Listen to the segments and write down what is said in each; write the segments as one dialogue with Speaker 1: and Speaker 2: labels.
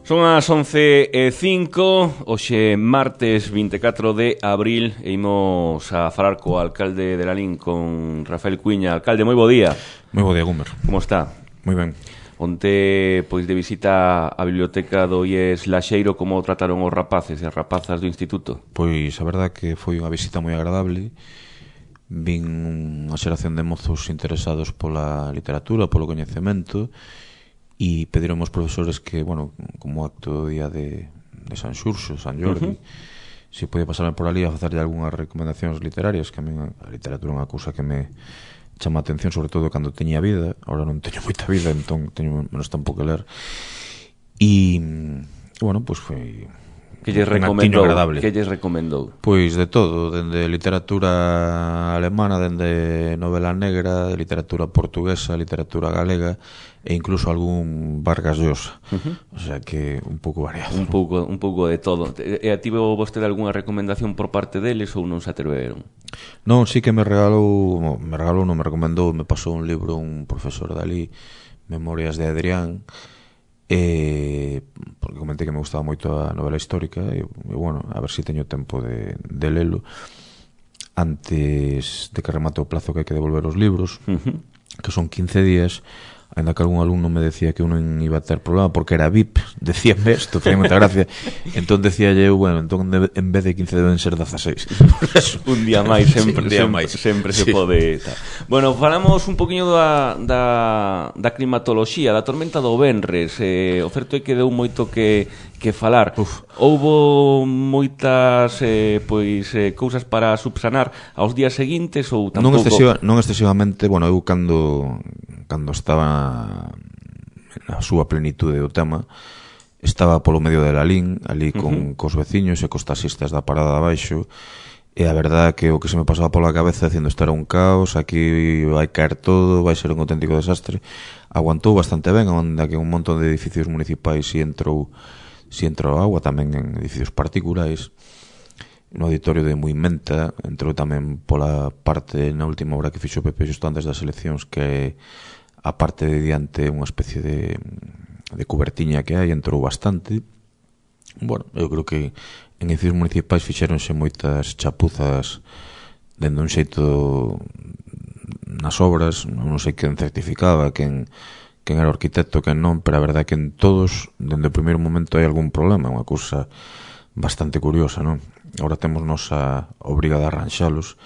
Speaker 1: Son as 11:05, hoxe martes 24 de abril, e imos a falar co alcalde de Lalín, con Rafael Cuiña. Alcalde, moi bo día.
Speaker 2: Moi bo día, Gumer.
Speaker 1: Como está?
Speaker 2: Moi ben.
Speaker 1: Onte, pois, de visita á biblioteca do IES Laxeiro, como trataron os rapaces e as rapazas do instituto?
Speaker 2: Pois a verdad que foi unha visita moi agradable. Vin unha xeración de mozos interesados pola literatura, polo coñecemento, e pediron aos profesores que, bueno, como acto do día de San Xurxo, San Jordi, se podía pasarme por ali a facerlle algunhas recomendacións literarias, que a mí a literatura é unha cousa que me chama a atención, sobre todo cando teña vida. Ahora non teño moita vida, entón teño menos tempo que ler. E, bueno, pois foi
Speaker 1: que lles recomendou? Que lles recomendou?
Speaker 2: Pois de todo, dende literatura alemana, dende novela negra, de literatura portuguesa, literatura galega e incluso algún Vargas Llosa. O sea que un pouco variado. Un
Speaker 1: pouco de todo. E tivo vostede algunha recomendación por parte deles ou non se atreveron?
Speaker 2: Non, sí que me recomendou, me pasou un libro un profesor dali, Memorias de Adrián, porque comenté que me gustaba moito a novela histórica e bueno, a ver se teño tempo de lelo antes de que remate o plazo que hai que devolver os libros, que son 15 días. Ainda que algún alumno me decía que eu non iba a ter problema porque era VIP, decíame isto, tenía moita gracia. Entón decía eu, bueno, entón en vez de 15 deben ser 16.
Speaker 1: Un día máis, sempre se pode. Bueno, falamos un poquinho da climatoloxía, da tormenta do venres. O certo é que deu moito que falar. Houbo moitas cousas para subsanar aos días seguintes ou tampouco?
Speaker 2: Non excesivamente. Bueno, eu cando estaba na súa plenitude do tema, estaba polo medio de Lalín, ali cos veciños e cos taxistas da parada de abaixo, e a verdade que o que se me pasaba pola cabeza dicindo isto era un caos, aquí vai caer todo, vai ser un auténtico desastre. Aguantou bastante ben, onde que un montón de edificios municipais si entrou agua, tamén en edificios particulares. No auditorio de Muimenta entrou tamén pola parte na última hora que fixo o PP xusto antes das eleccións, que a parte de diante unha especie de cubertiña que hai, entrou bastante. Bueno, eu creo que en edificios municipais fixéronse moitas chapuzas dende un xeito nas obras, non sei quen certificaba, quen era o arquitecto, quen non, pero a verdade é que en todos, dende o primeiro momento, hai algún problema, unha cousa bastante curiosa, non? Agora temos nosa obriga de arranxalos,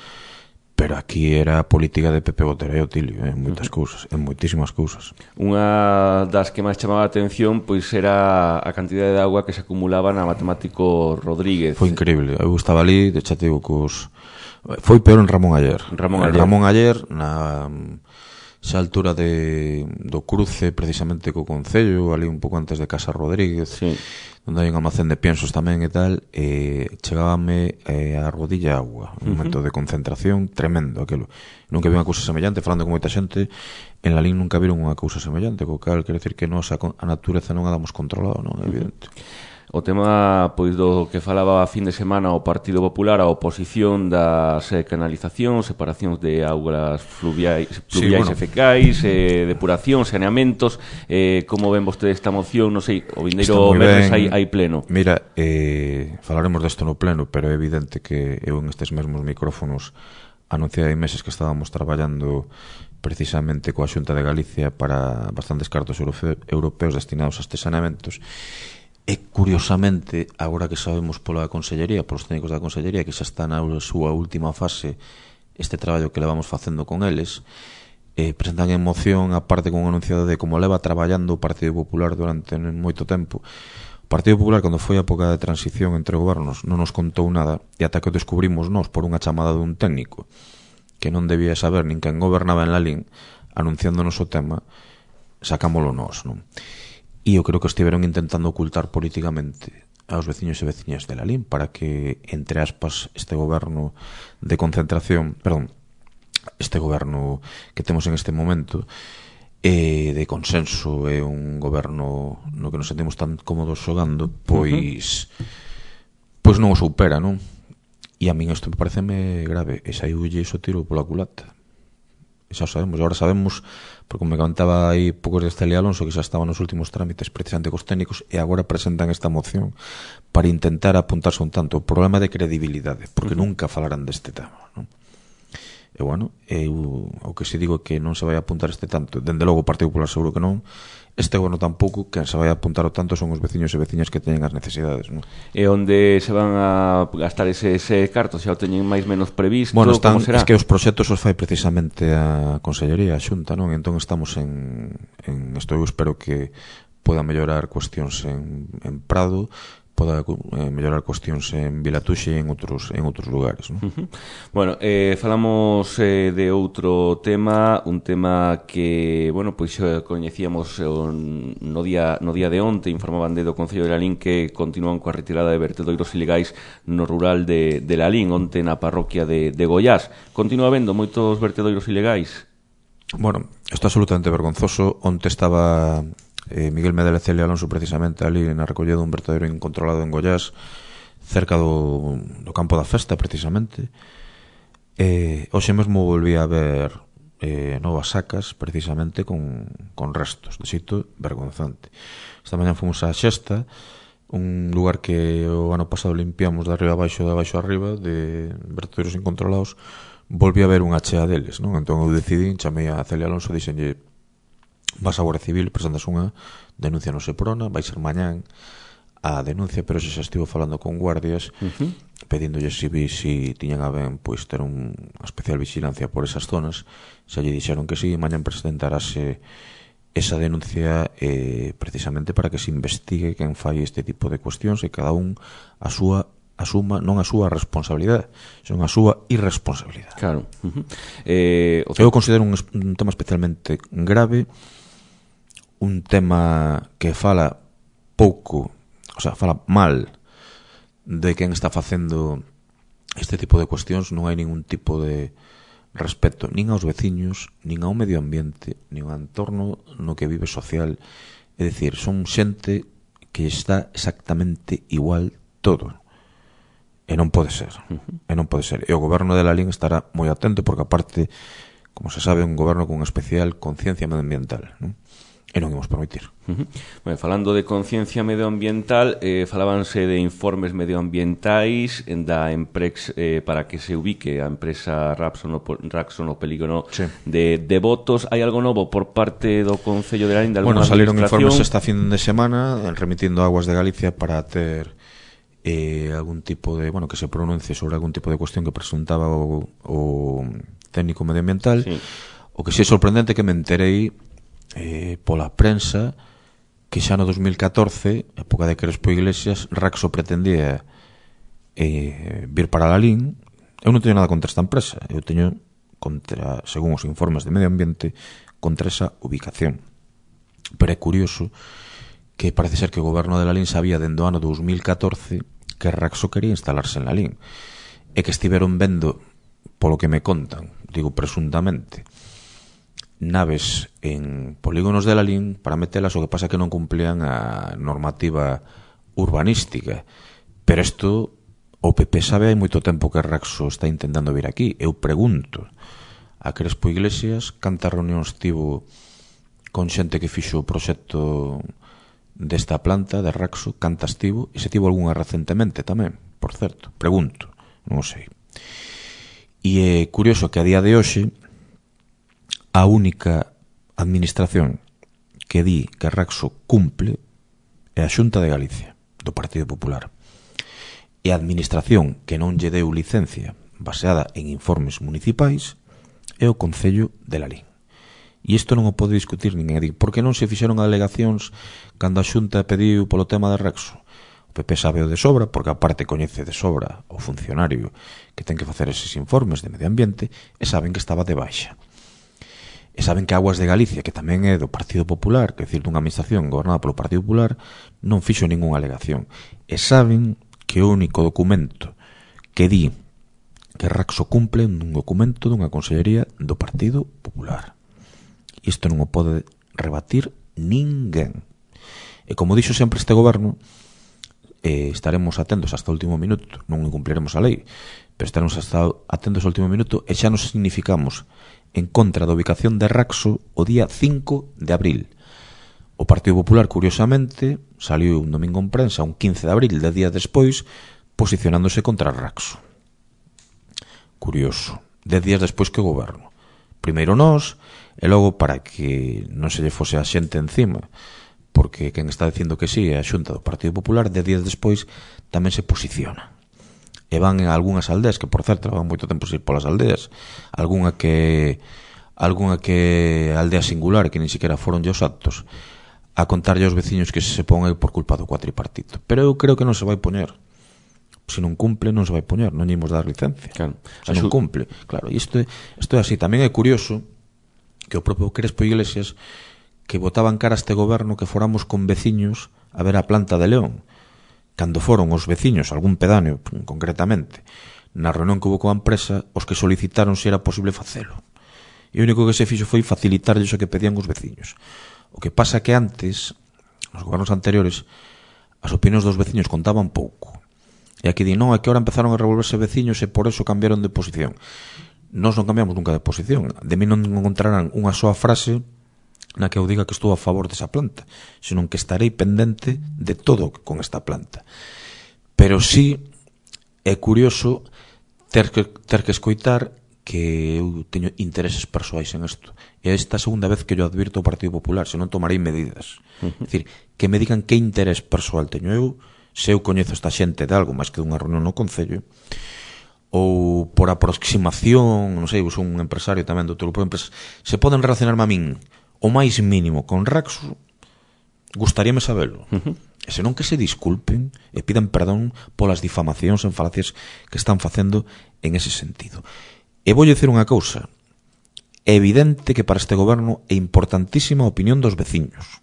Speaker 2: pero aquí era a política de Pepe Botera e Otilio, en moitas cousas, en moitísimas cousas.
Speaker 1: Unha das que máis chamaba a atención pois era a cantidade de agua que se acumulaba na Matemático Rodríguez.
Speaker 2: Foi increíble, eu estaba ali, xa te digo, foi peor en Ramón Aller, na xa altura do cruce precisamente co Concello, ali un pouco antes de Casa Rodríguez, onde hai un almacén de piensos tamén e tal, chegábame a rodilla agua, un momento de concentración tremendo aquilo. Nunca vi unha cousa semellante, falando con moita xente, en Lalín nunca viron unha cousa semellante, co cal quero dicir que nós a natureza non a damos controlado, non é evidente.
Speaker 1: O tema, pois, do que falaba a fin de semana o Partido Popular, a oposición das canalizacións, separacións de augas fluviais e fecais, depuración, saneamentos. Como ven vostede esta moción? Non sei, o vindeiro venres hai pleno.
Speaker 2: Mira, falaremos desto no pleno, pero é evidente que eu en estes mesmos micrófonos anunciei hai meses que estábamos traballando precisamente coa Xunta de Galicia para bastantes cartos europeos destinados a estes saneamentos. E, curiosamente, agora que sabemos pola Consellería, polos técnicos da Consellería, que xa está na súa última fase este traballo que levamos facendo con eles, presentan en moción a parte con un anunciado de como leva traballando o Partido Popular durante moito tempo. O Partido Popular, cando foi a época de transición entre gobernos, non nos contou nada, e ata que o descubrimos nós por unha chamada dun técnico que non debía saber nin quen gobernaba en Lalín, anunciándonos o tema, sacámolo nós, non? E eu creo que estiveron intentando ocultar políticamente aos veciños e veciñas de Lalín para que, entre aspas, este goberno de concentración, este goberno que temos en este momento de consenso, é un goberno no que nos sentimos tan cómodos xogando, pois non o supera, non? E a min isto me pareceme grave, e saiulle iso tiro pola culata. xa o sabemos, e agora sabemos, porque me comentaba aí poucos de Celia Alonso, que xa estaban nos últimos trámites precisamente cos técnicos, e agora presentan esta moción para intentar apuntarse un tanto o problema de credibilidade, porque nunca falarán deste tema, non? E bueno, o que se digo é que non se vai apuntar este tanto, dende logo o Partido Popular seguro que non, este goberno tampouco, quen se vai apuntar o tanto son os veciños e veciñas que teñen as necesidades, non?
Speaker 1: E onde se van a gastar ese carto? Xa o teñen máis menos previsto?
Speaker 2: Bueno,
Speaker 1: como será?
Speaker 2: Es que os proxectos os fai precisamente a Consellería, a Xunta, non? Entón estamos en isto, eu espero que poda mellorar cuestións en Prado, poda mellorar cuestións en Vilatuxe e en outros lugares, non?
Speaker 1: Bueno, falamos de outro tema, un tema que, bueno, pois coñecíamos no día de onte, informaban do Concello de Lalín que continúan coa retirada de vertedoiros ilegais no rural de Lalín, onte na parroquia de Goiás. Continúa habendo moitos vertedoiros ilegais?
Speaker 2: Bueno, isto é absolutamente vergonzoso. Onte estaba Miguel Medel e Celia Alonso precisamente ali na recollida dun vertedero incontrolado en Goiás, cerca do campo da festa precisamente. Hoxe mesmo volví a ver novas sacas precisamente con restos, de xeito vergonzante. Esta mañá fomos a Xesta, un lugar que o ano pasado limpiamos de arriba a baixo, de baixo a arriba, de vertederos incontrolados. Volví a ver unha chea deles, non? Entón eu decidí, chamei a Celia Alonso, dixenlle: vas a Guardia Civil, presentas unha denuncia no Seprona, vai ser mañán a denuncia, pero xa estivo falando con guardias pedíndolles si tiñan a ben pois ter unha especial vigilancia por esas zonas. Xa lle dixeron que si, mañán presentarase esa denuncia precisamente para que se investigue quen fai este tipo de cuestións e cada un asuma non a súa responsabilidade, son a súa irresponsabilidade.
Speaker 1: Claro.
Speaker 2: Eu considero un tema especialmente grave, un tema que fala pouco, o sea, fala mal de quen está facendo este tipo de cuestións. Non hai ningún tipo de respeto nin aos veciños, nin ao medio ambiente, nin ao entorno no que vive social. É dicir, son xente que está exactamente igual todo. E non pode ser. E non pode ser. E o goberno de Lalín estará moi atento porque, aparte, como se sabe, é un goberno con especial conciencia medioambiental, non? E non imos permitir.
Speaker 1: Bueno, falando de conciencia medioambiental, falábanse de informes medioambientais da Emprex para que se ubique a empresa Raxo no polígono de Botos. Hai algo novo por parte do Concello de Lalín?
Speaker 2: Bueno, salieron informes esta fin de semana remitindo a Aguas de Galicia para ter algún tipo de, bueno, que se pronuncie sobre algún tipo de cuestión que presuntaba o técnico medioambiental. O que si é sorprendente que me enterei pola prensa que xa no 2014, época de Crespo Iglesias, Raxo pretendía vir para Lalín. Eu non teño nada contra esta empresa, eu teño contra, según os informes de medio ambiente, contra esa ubicación. Pero é curioso que parece ser que o goberno de Lalín sabía dende o ano 2014 que Raxo quería instalarse en Lalín e que estiveron vendo, polo que me contan, digo presuntamente, naves en polígonos de Lalín para metelas, o que pasa que non cumplían a normativa urbanística. Pero isto o PP sabe hai moito tempo que Raxo está intentando vir aquí. Eu pregunto a Crespo Iglesias cantas reunións tivo con xente que fixo o proxecto desta planta de Raxo, cantas tivo, e se tivo algunha recentemente tamén, por certo, pregunto, non sei. E é curioso que a día de hoxe a única administración que di que Raxo cumple é a Xunta de Galicia, do Partido Popular. E a administración que non lle deu licencia baseada en informes municipais é o Concello de Lalín. E isto non o pode discutir ninguén. Por que non se fixeron alegacións cando a Xunta pediu polo tema de Raxo? O PP sabe o de sobra, porque aparte coñece de sobra o funcionario que ten que facer eses informes de medio ambiente, e saben que estaba de baixa. E saben que Aguas de Galicia, que tamén é do Partido Popular, que é dicir, dunha administración gobernada polo Partido Popular, non fixo ningunha alegación. E saben que o único documento que di que Raxo cumple é un documento dunha consellería do Partido Popular. Isto non o pode rebatir ninguén. E como dixo sempre este goberno, estaremos atentos hasta o último minuto. Non incumpliremos a lei, pero estaremos atentos ao último minuto, e xa nos significamos en contra da ubicación de Raxo o día 5 de abril. O Partido Popular, curiosamente, saliu un domingo en prensa, un 15 de abril, 10 días despois, posicionándose contra Raxo. Curioso. 10 días despois que o goberno. Primeiro nós, e logo para que non se lle fose a xente encima, porque quen está dicindo que sí é a Xunta do Partido Popular, 10 días despois tamén se posiciona. E van en algunhas aldeas, que por certo van moito tempo sin ir polas aldeas, algunha que aldea singular, que nin siquiera foron os actos, a contarlle aos veciños que se pon por culpa do cuatripartito. Pero eu creo que non se vai poñer. Se non cumple, non se vai poñer, non imos dar licencia.
Speaker 1: Claro.
Speaker 2: Se non cumple. Claro, isto é así. Tamén é curioso que o propio Crespo Iglesias, que botaban cara a este goberno que foramos con veciños a ver a planta de León. Cando foron os veciños, algún pedáneo concretamente, na reunión que hubo coa empresa, os que solicitaron se era posible facelo. E o único que se fixo foi facilitarlles o que pedían os veciños. O que pasa que antes, nos gobernos anteriores, as opinións dos veciños contaban pouco. E aquí di, non, é que ahora empezaron a revolverse veciños e por eso cambiaron de posición. Nós non cambiamos nunca de posición. De mí non encontrarán unha soa frase na que eu diga que estou a favor desa planta, senón que estarei pendente de todo con esta planta. Pero sí é curioso ter que escoitar que eu teño intereses persoais en isto. E esta segunda vez que yo advirto ao Partido Popular, se non tomarei medidas. É dicir, que me digan que interés persoal teño eu, se eu coñezo esta xente de algo máis que dunha reunión no Concello, ou por aproximación, non sei, eu sou un empresario tamén do outro grupo de empresas, se poden relacionarme a min o máis mínimo con Raxo, gustaríame sabelo. E senón que se disculpen e pidan perdón polas difamacións en falacias que están facendo en ese sentido. E vou dicir unha cousa. É evidente que para este goberno é importantísima a opinión dos veciños.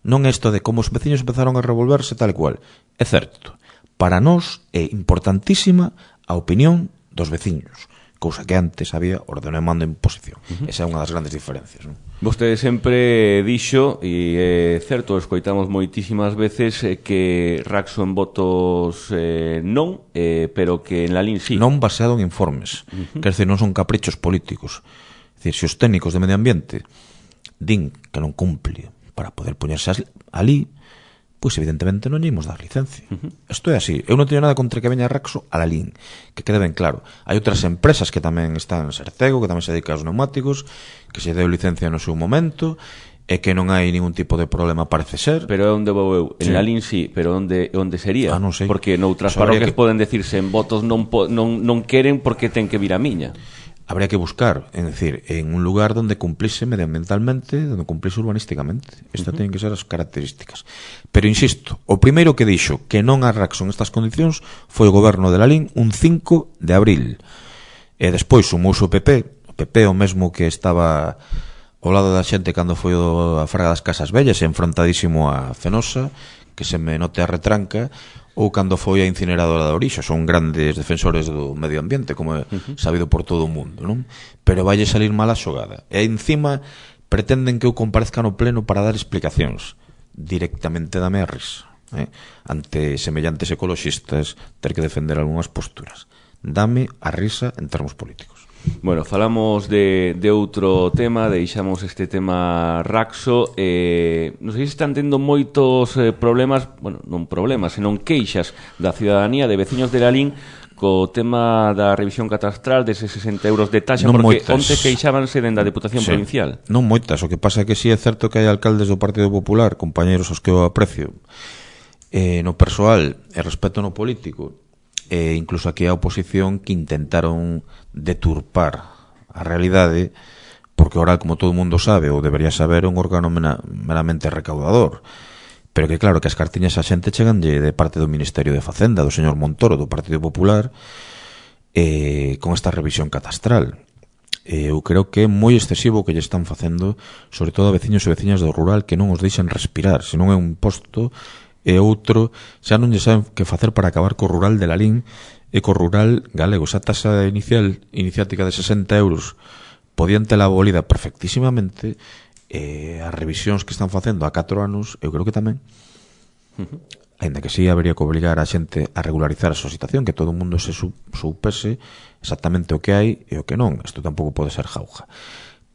Speaker 2: Non é isto de como os veciños empezaron a revolverse tal e cual. É certo. Para nós é importantísima a opinión dos veciños, cousa que antes había ordeno e mando en posición. Esa é unha das grandes diferencias, non?
Speaker 1: Vostede sempre dixo, e é certo, escoitamos moitísimas veces que Raxo en votos non, pero que en Lalín sí.
Speaker 2: Non baseado en informes. Quer dizer, non son caprichos políticos. É dicir, se os técnicos de medio ambiente din que non cumple para poder poñerse ali, pois evidentemente non lle imos dar licencia. Isto é así. Eu non teño nada contra que veña Raxo a Lalín, que quede ben claro. Hai outras empresas que tamén están en Sercego, que tamén se dedican aos neumáticos, que se deu licencia no seu momento, e que non hai ningún tipo de problema, parece ser.
Speaker 1: Pero onde vou eu? En Lalín sí, pero onde sería?
Speaker 2: Non sei.
Speaker 1: Porque noutras parroquias poden decirse en votos non queren porque ten que vir a miña.
Speaker 2: Habría que buscar, é dicir, en un lugar donde cumplise medioambientalmente, donde cumplise urbanísticamente. Estas teñen que ser as características. Pero insisto, o primeiro que dixo que non a Raxo en estas condicións foi o goberno de Lalín un 5 de abril. E despois sumouse o PP o mesmo que estaba ao lado da xente cando foi a Fraga das Casas Vellas, enfrontadísimo a Fenosa, que se me note a retranca, ou cando foi a incineradora da Orixa. Son grandes defensores do medio ambiente, como é sabido por todo o mundo, non? Pero valle salir mala xogada. E encima pretenden que eu comparezca no pleno para dar explicacións. Directamente dame a risa, ante semellantes ecoloxistas ter que defender algunhas posturas. Dame a risa en termos políticos.
Speaker 1: Bueno, falamos de outro tema, deixamos este tema Raxo. Non sei se están tendo moitos problemas, bueno, non problemas, senón queixas da ciudadanía, de veciños de Lalín, co tema da revisión catastral deses 60 euros de taxa,
Speaker 2: non
Speaker 1: porque
Speaker 2: moitas.
Speaker 1: onte queixábanse dende a Deputación Provincial.
Speaker 2: Non moitas, o que pasa é que sí é certo que hai alcaldes do Partido Popular, compañeros aos que eu aprecio, no persoal e respeto no político, e incluso aquí a oposición, que intentaron deturpar a realidade, porque oral, como todo o mundo sabe, ou debería saber, é un órgano meramente recaudador. Pero que claro, que as cartiñas a xente cheganlle de parte do Ministerio de Facenda, do señor Montoro, do Partido Popular, con esta revisión catastral. Eu creo que é moi excesivo o que lle están facendo, sobre todo a veciños e veciñas do rural, que non os deixan respirar, se non é un imposto e outro, xa non lle saben que facer para acabar co rural de Lalín e co rural galego. Esa taxa iniciática de 60 euros podían tela abolida perfectísimamente, as revisións que están facendo a 4 anos, eu creo que tamén. ainda que sí habería que obrigar a xente a regularizar a súa situación, que todo o mundo se soupese exactamente o que hai e o que non. Isto tampouco pode ser jauja.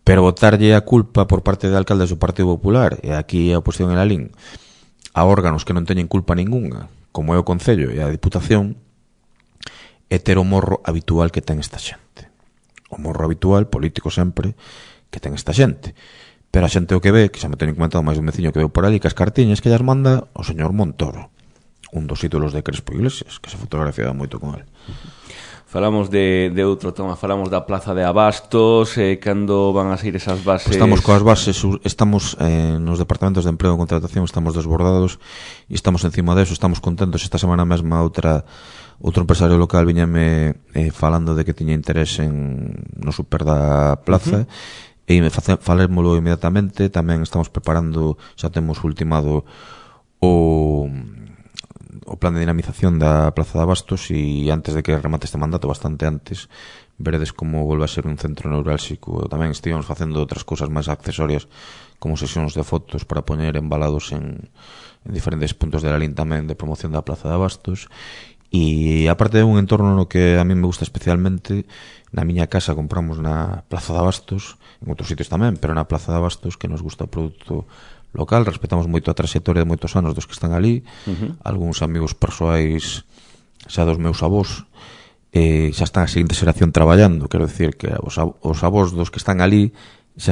Speaker 2: Pero botarlle a culpa por parte de alcaldes do Partido Popular, e aquí a oposición en Lalín, a órganos que non teñen culpa ningunha, como é o Concello e a Diputación, é ter o morro habitual que ten esta xente. O morro habitual, político sempre, que ten esta xente. Pero a xente o que ve, que xa me teñen comentado máis dun veciño que veu por ali, que as cartiñas que llas manda o señor Montoro, un dos ídolos de Crespo Iglesias, que se fotografiaba moito con él.
Speaker 1: Falamos de outro tema, falamos da Plaza de Abastos, cando van a sair esas bases?
Speaker 2: Pues estamos coas bases, estamos nos departamentos de emprego e contratación, estamos desbordados e estamos encima deso, estamos contentos. Esta semana mesma outro empresario local viñame falando de que tiña interés no super da plaza, e falémolo inmediatamente. Tamén estamos preparando, xa temos ultimado o plan de dinamización da Plaza de Abastos, e antes de que remate este mandato, bastante antes, veredes como volve a ser un centro neurálxico. Tamén estivemos facendo outras cousas máis accesorias, como sesións de fotos para poñer embalados en diferentes puntos de Lalín tamén, de promoción da Plaza de Abastos. E aparte de un entorno no que a mí me gusta especialmente, na miña casa compramos na Plaza de Abastos, en outros sitios tamén, pero na Plaza de Abastos, que nos gusta o produto local, respetamos moito a trayectoria de moitos anos dos que están ali, algúns amigos persoais xa dos meus avós, xa están a seguinte xeración traballando, quero dicir que os avós dos que están ali xa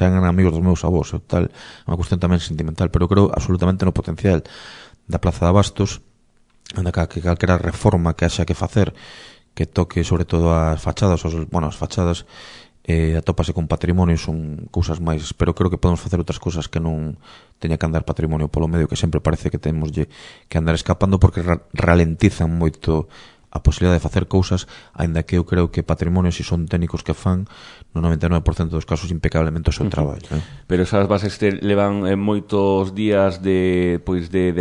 Speaker 2: eran amigos dos meus avós, tal, unha cuestión tamén sentimental, pero creo absolutamente no potencial da Plaza de Abastos, onde calquera reforma que haxa que facer, que toque sobre todo as fachadas, as fachadas atópase con patrimonio, son cousas máis, pero creo que podemos facer outras cousas que non teña que andar patrimonio polo medio, que sempre parece que temos que andar escapando, porque ralentizan moito a posibilidade de facer cousas, aínda que eu creo que patrimonio, se son técnicos que fan, no 99% dos casos impecablemente o seu traballo.
Speaker 1: Pero esas bases levan moitos días de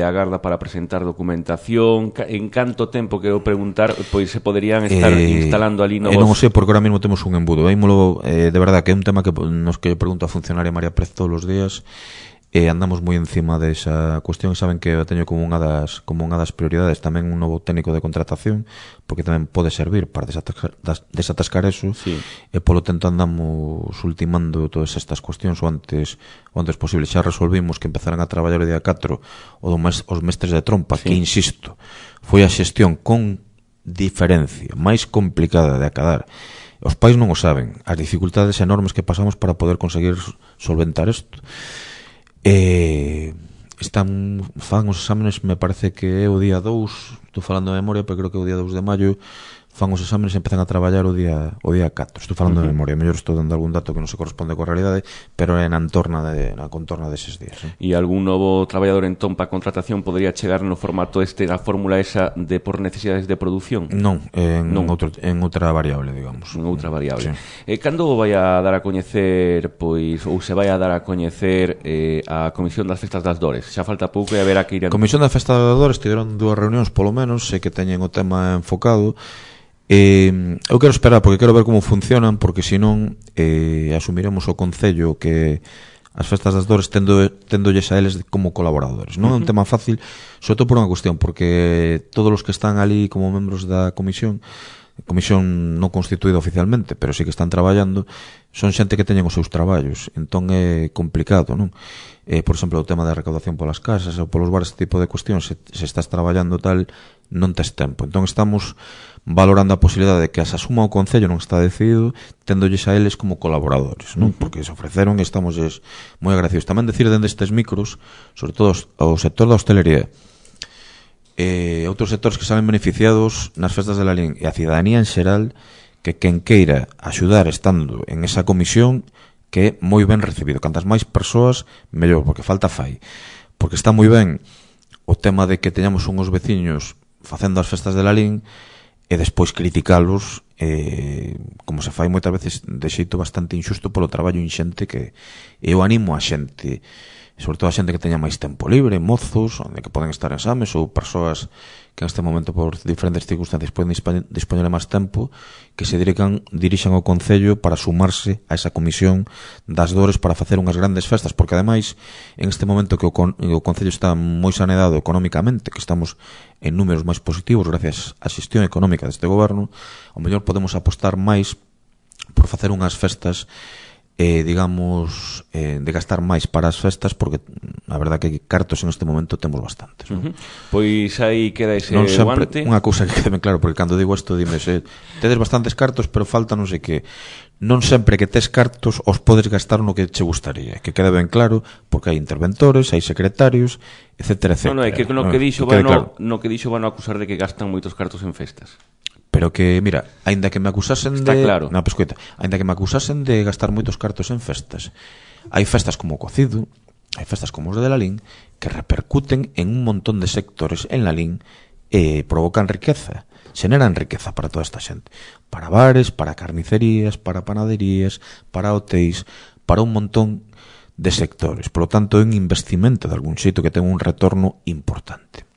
Speaker 1: agarda para presentar documentación. En canto tempo, que eu preguntar, pois se poderían estar instalando ali novos?
Speaker 2: Non o sei, porque ahora mesmo temos un embudo. De verdad que é un tema que nos que pregunto a funcionaria María Pérez todos os días, e andamos moi encima desa cuestión. Saben que eu teño como unha das prioridades tamén un novo técnico de contratación, porque tamén pode servir para desatascar eso, sí. E polo tanto andamos ultimando todas estas cuestións o antes posible. Xa resolvimos que empezaran a traballar o día 4 os mestres de trompa, sí. Que insisto, foi a xestión con diferencia máis complicada de acadar. Os pais non o saben, as dificultades enormes que pasamos para poder conseguir solventar isto. Fan os exámenes, me parece que é o día 2, estou falando de memoria, pero creo que é o día 2 de maio, fan os exámenes e empezan a traballar o día 4. Estou falando de memoria, mellor estou dando algún dato que non se corresponde coa realidade, pero é na contorna deses días.
Speaker 1: E algún novo traballador en Tompa contratación podería chegar no formato na fórmula esa de por necesidades de produción?
Speaker 2: Non, en outra variable, digamos.
Speaker 1: En outra variable.
Speaker 2: Sí.
Speaker 1: Cando vai a dar a coñecer, ou se vai a dar a coñecer a Comisión das Festas das Dores? Xa falta pouco e haberá que ir...
Speaker 2: A Comisión das Festas das Dores tiveron 2 reunións, polo menos, sei que teñen o tema enfocado. Eu quero esperar, porque quero ver como funcionan, porque senón asumiremos o Concello que as Festas das Dores téndolles a eles como colaboradores. Non é un tema fácil, sobre todo por unha cuestión, porque todos os que están ali como membros da comisión non constituída oficialmente, pero sí que están traballando, son xente que teñen os seus traballos, entón é complicado, non? Por exemplo, o tema da recaudación polas casas ou polos bares, este tipo de cuestións, se estás traballando tal, non tes tempo. Entón estamos valorando a posibilidade de que as asuma o Concello, non está decidido, téndolles a eles como colaboradores, non? Porque se ofreceron e estamos moi agradecidos. Tamén decir dende estes micros, sobre todo o sector da hostelería, outros sectores que salen beneficiados nas festas de Lalín e a cidadanía en xeral, que quen queira axudar estando en esa comisión, que é moi ben recibido. Cantas máis persoas, mellor, porque falta fai. Porque está moi ben o tema de que teñamos unhos veciños facendo as festas de Lalín e despois criticalos como se fai moitas veces de xeito bastante injusto polo traballo inxente que eu animo a xente, sobre todo a xente que teña máis tempo libre, mozos, onde que poden estar en exames ou persoas que en este momento por diferentes circunstancias poden dispoñer de máis tempo, que se dirixan ao Concello para sumarse a esa comisión das dores para facer unhas grandes festas, porque ademais en este momento que o Concello está moi saneado económicamente, que estamos en números máis positivos gracias á xestión económica deste goberno, ao mellor podemos apostar máis por facer unhas festas digamos, de gastar máis para as festas, porque a verdad que cartos en este momento temos bastantes, non?
Speaker 1: Pois aí queda ese
Speaker 2: non sempre,
Speaker 1: guante.
Speaker 2: Unha cousa que quede claro, porque cando digo isto dime, tedes bastantes cartos pero falta non sei que, non sempre que tes cartos os podes gastar no que che gustaría, que quede ben claro, porque hai interventores, hai secretarios, etcétera, etcétera.
Speaker 1: Non, é que no que dixo van a acusar de que gastan moitos cartos en festas.
Speaker 2: Pero que, mira, aínda que me acusasen
Speaker 1: Está claro.
Speaker 2: No, pues, coita, aínda que me acusasen de gastar moitos cartos en festas, hai festas como o Cocido, hai festas como os de Lalín, que repercuten en un montón de sectores en Lalín e provocan riqueza, xeneran riqueza para toda esta xente, para bares, para carnicerías, para panaderías, para hotéis, para un montón de sectores. Por lo tanto, é un investimento de algún xeito que ten un retorno importante.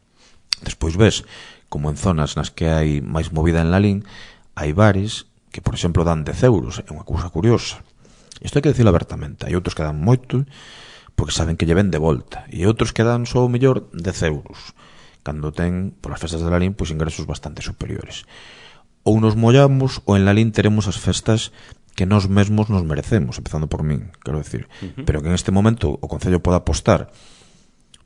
Speaker 2: Despois ves como en zonas nas que hai máis movida en Lalín, hai bares que, por exemplo, dan 10 euros. É unha cousa curiosa. Isto hai que dicilo abertamente. Hai outros que dan moito, porque saben que lle ven de volta. E outros que dan só o mellor 10 euros, cando ten, por as festas de Lalín, pois ingresos bastante superiores. Ou nos mollamos, ou en Lalín teremos as festas que nós mesmos nos merecemos, empezando por min, quero decir. Pero que en este momento o Concello pode apostar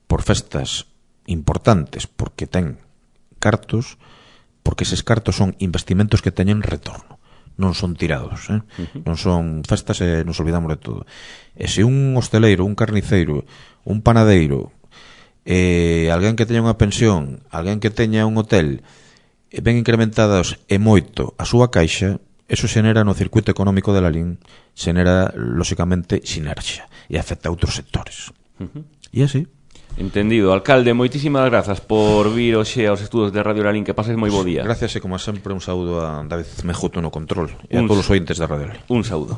Speaker 2: por festas importantes, porque ten cartos, porque eses cartos son investimentos que teñen retorno, non son tirados, non son festas e nos olvidamos de todo. E se un hosteleiro, un carniceiro, un panadeiro, alguén que teña unha pensión, alguén que teña un hotel, ven incrementados e moito a súa caixa, eso xenera no circuito económico de Lalín, xenera, lóxicamente, sinerxia e afecta a outros sectores. E así.
Speaker 1: Entendido. Alcalde, moitísimas grazas por vir hoxe aos estudos de Radio Lalín, que pases moi bo día.
Speaker 2: Gracias e, como sempre, un saúdo a David Mejuto no control e a todos os ointes da Radio Lalín.
Speaker 1: Un saúdo.